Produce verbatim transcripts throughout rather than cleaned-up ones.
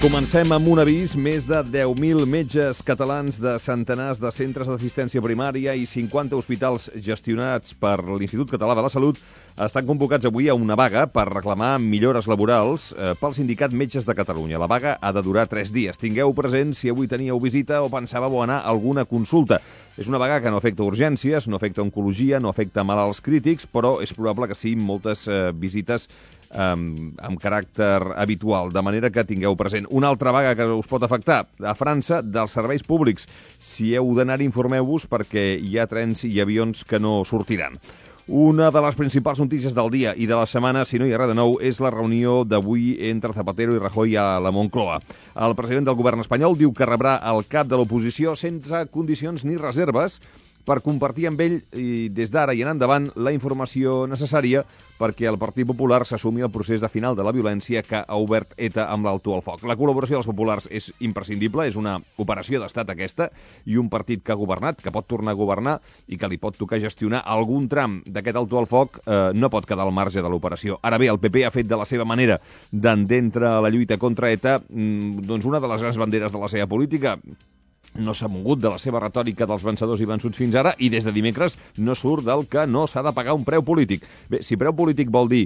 Comencem amb un avís. Més de deu mil metges catalans de centenars de centres d'assistència primària i cinquanta hospitals gestionats per l'Institut Català de la Salut estan convocats avui a una vaga per reclamar millores laborals eh, pel Sindicat Metges de Catalunya. La vaga ha de durar tres dies. Tingueu present si avui teníeu visita o pensàveu anar a alguna consulta. És una vaga que no afecta urgències, no afecta oncologia, no afecta malalts crítics, però és probable que sí moltes eh, visites amb, amb caràcter habitual, de manera que tingueu present. Una altra vaga que us pot afectar, a França, dels serveis públics. Si heu d'anar, informeu-vos perquè hi ha trens i avions que no sortiran. Una de les principals notícies del dia i de la setmana, si no hi ha res de nou, és la reunió d'avui entre Zapatero i Rajoy a la Moncloa. El president del govern espanyol diu que rebrà el cap de l'oposició sense condicions ni reserves per compartir amb ell, i des d'ara i en endavant, la informació necessària perquè el Partit Popular s'assumi el procés de final de la violència que ha obert ETA amb l'alto al foc. La col·laboració dels populars és imprescindible, és una operació d'estat aquesta, i un partit que ha governat, que pot tornar a governar i que li pot tocar gestionar algun tram d'aquest alto al foc, eh, no pot quedar al marge de l'operació. Ara bé, el P P ha fet de la seva manera d'entendre la lluita contra ETA mm, doncs una de les grans banderes de la seva política. No s'ha mogut de la seva retòrica dels vencedors i vençuts fins ara i des de dimecres no surt del que no s'ha de pagar un preu polític. Bé, si preu polític vol dir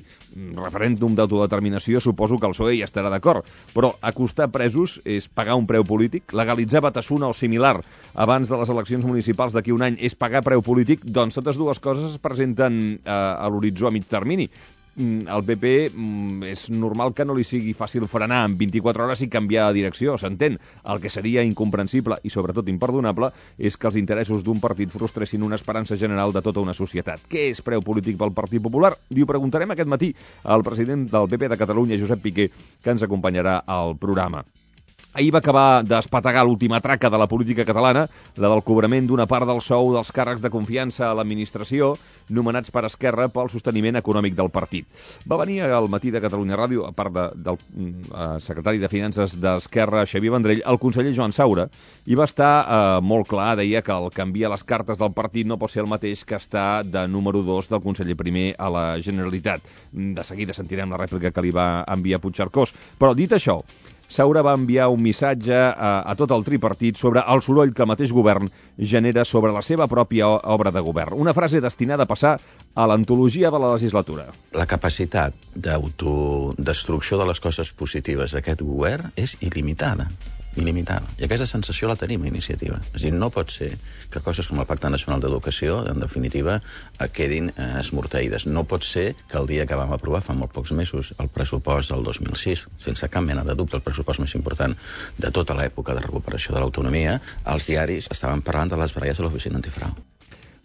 referèndum d'autodeterminació, suposo que el P S O E hi estarà d'acord, però acostar presos és pagar un preu polític, legalitzar Batasuna o similar abans de les eleccions municipals d'aquí un any és pagar preu polític, doncs totes dues coses es presenten eh, a l'horitzó a mig termini. El P P és normal que no li sigui fàcil frenar en vint-i-quatre hores i canviar de direcció, s'entén. El que seria incomprensible i sobretot imperdonable és que els interessos d'un partit frustressin una esperança general de tota una societat. Què és preu polític pel Partit Popular? Li ho preguntarem aquest matí al president del P P de Catalunya, Josep Piqué, que ens acompanyarà al programa. Ahir va acabar d'espetegar l'última traca de la política catalana, la del cobrament d'una part del sou dels càrrecs de confiança a l'administració, nomenats per Esquerra pel sosteniment econòmic del partit. Va venir al matí de Catalunya Ràdio, a part de, del uh, secretari de Finances d'Esquerra, Xavier Vendrell, el conseller Joan Saura, i va estar uh, molt clar, deia que el canviar les cartes del partit no pot ser el mateix que estar de número dos del conseller primer a la Generalitat. De seguida sentirem la rèplica que li va enviar Puigcercós. Però dit això, Saura va enviar un missatge a, a tot el tripartit sobre el soroll que el mateix govern genera sobre la seva pròpia obra de govern. Una frase destinada a passar a l'antologia de la legislatura. La capacitat d'autodestrucció de les coses positives d'aquest govern és il·limitada. il·limitada. I aquesta sensació la tenim a Iniciativa. És a dir, no pot ser que coses com el Pacte Nacional d'Educació, en definitiva, quedin eh, esmorteïdes. No pot ser que el dia que vam aprovar fa molt pocs mesos el pressupost del dos mil sis, sense cap mena de dubte, el pressupost més important de tota l'època de recuperació de l'autonomia, els diaris estaven parlant de les baralles de l'oficina antifrau.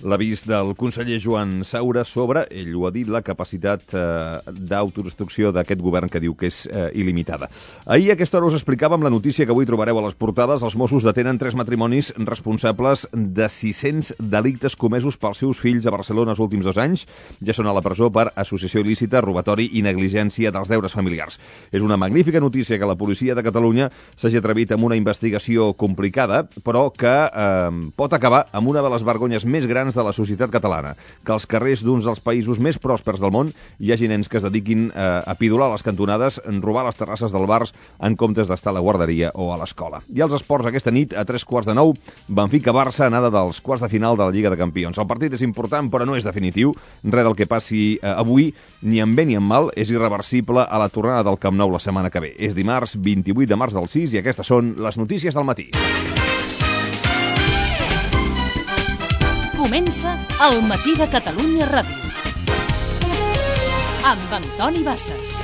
L'avís del conseller Joan Saura sobre, ell ho ha dit, la capacitat eh, d'autodestrucció d'aquest govern que diu que és eh, il·limitada. Ahir a aquesta hora us explicàvem la notícia que avui trobareu a les portades. Els Mossos detenen tres matrimonis responsables de sis-cents delictes comesos pels seus fills a Barcelona els últims dos anys. Ja són a la presó per associació il·lícita, robatori i negligència dels deures familiars. És una magnífica notícia que la policia de Catalunya s'hagi atrevit amb una investigació complicada, però que eh, pot acabar amb una de les vergonyes més grans de la societat catalana, que als carrers d'uns dels països més pròspers del món hi hagi nens que es dediquin eh, a pidolar les cantonades, robar les terrasses del bars en comptes d'estar a la guarderia o a l'escola. I els esports aquesta nit, a tres quarts de nou, Benfica-Barça, anada dels quarts de final de la Lliga de Campions. El partit és important, però no és definitiu. Res del que passi eh, avui, ni en bé ni en mal, és irreversible a la tornada del Camp Nou la setmana que ve. És dimarts, vint-i-vuit de març del sis, i aquestes són les notícies del matí. Comença el Matí de Catalunya Ràdio amb Antoni Bassas.